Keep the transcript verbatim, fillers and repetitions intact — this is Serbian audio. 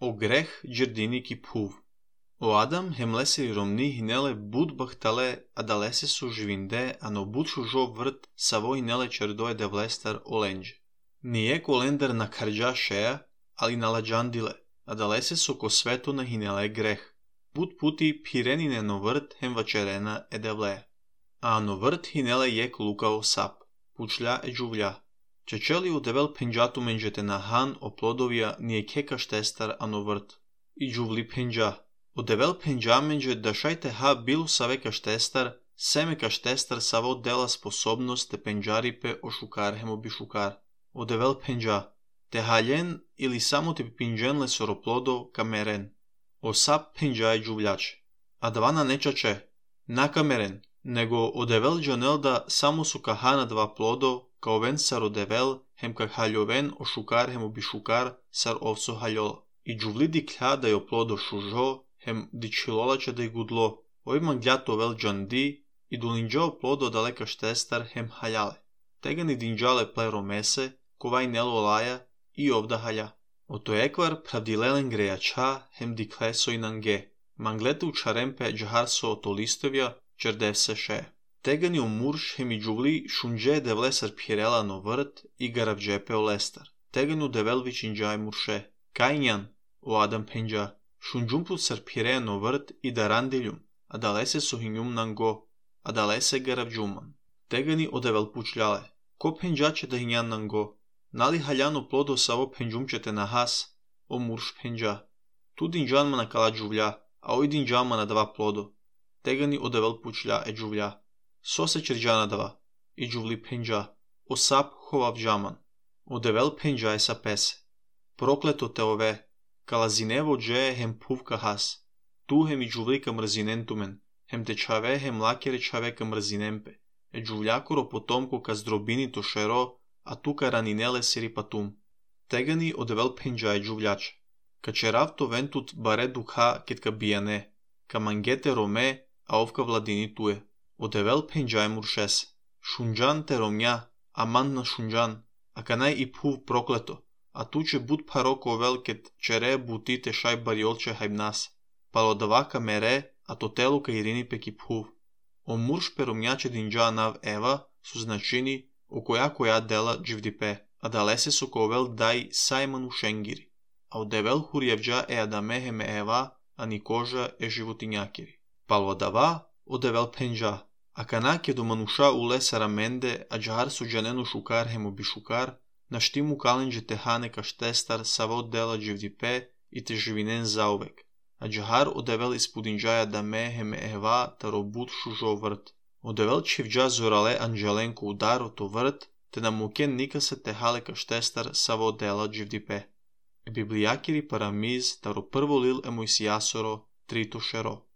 O greh girdini ki phuv. O Adam hem leseri romni hinele bud bahtale adalese su žvinde ano bud šužo vrt savo hinele čerdoje de vlestar olenđe. Nije kolendar na karđa šeja, ali na lađandile, adalese su ko svetu na hinele greh. Bud puti pirenine no vrt hem vačerena edevleja. A ano vrt hinele jek lukao sap, pučlja e džuvlja. Čečeli u devel penđatu menđete na han o plodovija nije keka štestar ano vrt. I džuvli penđa. O devel penđa menđe da šajte ha bilu saveka štestar, seme ka štestar savo dela sposobnost te penđaripe o šukar hemo bi šukar. O devel penđa. Te haljen ili samo te pinđenle soroplodo kameren. O sap penđa je džuvljače. A dvana nečače, na kameren, nego o devel džanelda samo su kahana dva plodo, kao ven sar o devel, hem kak haljoven o šukar hemo bi šukar sar ovso haljola. I džuvli di klja da je o plodo šužo, hem di čilolače da je gudlo, ovima gljato vel džandi, i dulinđao plodo daleka štestar hem haljale. Tega ni dinđale plero mese, kovaj nelo laja i ovda halja. O to ekvar pravdilelen grejača hem di kleso i nange, manglete u čarempe džaharso o to listovja, čerdev se še. Tega ni o murš hem i džuvli šunđe de vlesar pirela no vrt i garavđepe o lestar. Tega ni u develvić inđaj murše. Kajnjan, o Adam penđa, šunđumput sar pirea no vrt i darandiljum, a dalese su hinjum nango, a dalese garavđuman. Tega ni o devel pučljale. Ko penđače da hinjan nango? Nali haljano plodo savo penđumčete na has, o murš penđa. Tu dinđan mana kala džuvlja, a oj dinđan mana dva plodo. Tega ni o devel pučlja e džuvlja. So se čerđana dva, i džuvli penđa, o sap hovav džaman. O devel penđa je sa pese. Prokleto te ove, kala zinevo dže hem puvka has. Tu hem i džuvli ka mrzinentumen, hem te čave hem lakere čave ka mrzinempe. E džuvljakoro potomko ka zdrobini to šero, a tu ka raninele siri patum. Tega ni o devel penđa je džuvljače. Ka čerav to ventut bare dukha ket ka bijane, ka mangete rome, a ovka vladini tuje. O devel penđa je muršese. Šunđan te romnja, a man na šunđan, a kanaj i puv prokleto, a tu će bud paroko velket čere butite šaj bariolče hajbnas, palo davaka mere, a to telu ka irini peki puv. O murš peromnjače dinđa nav eva su značini o koja koja dela dživdipe, a dalese su ko vel daj sajmanu šengiri, a o devel hurjevđa e adamehe me eva, a ni koža e životinjakiri. Palo dava o devel penđa, a kanak je do manuša u lesara mende, a džahar su džanenu šukar hemo bi šukar, na štimu kalenđe tehane ka štestar savo dela dživdipe i te živinen zauvek. A džahar o devel ispudinđaja da me heme eva ta robut šužo vrt. O devel čivđa zorale anđelenko udaro to vrt, te na muken nika se tehale ka štestar savo dela dživdipe. E biblijakiri paramiz taro prvo lil emojsijasoro trito šero.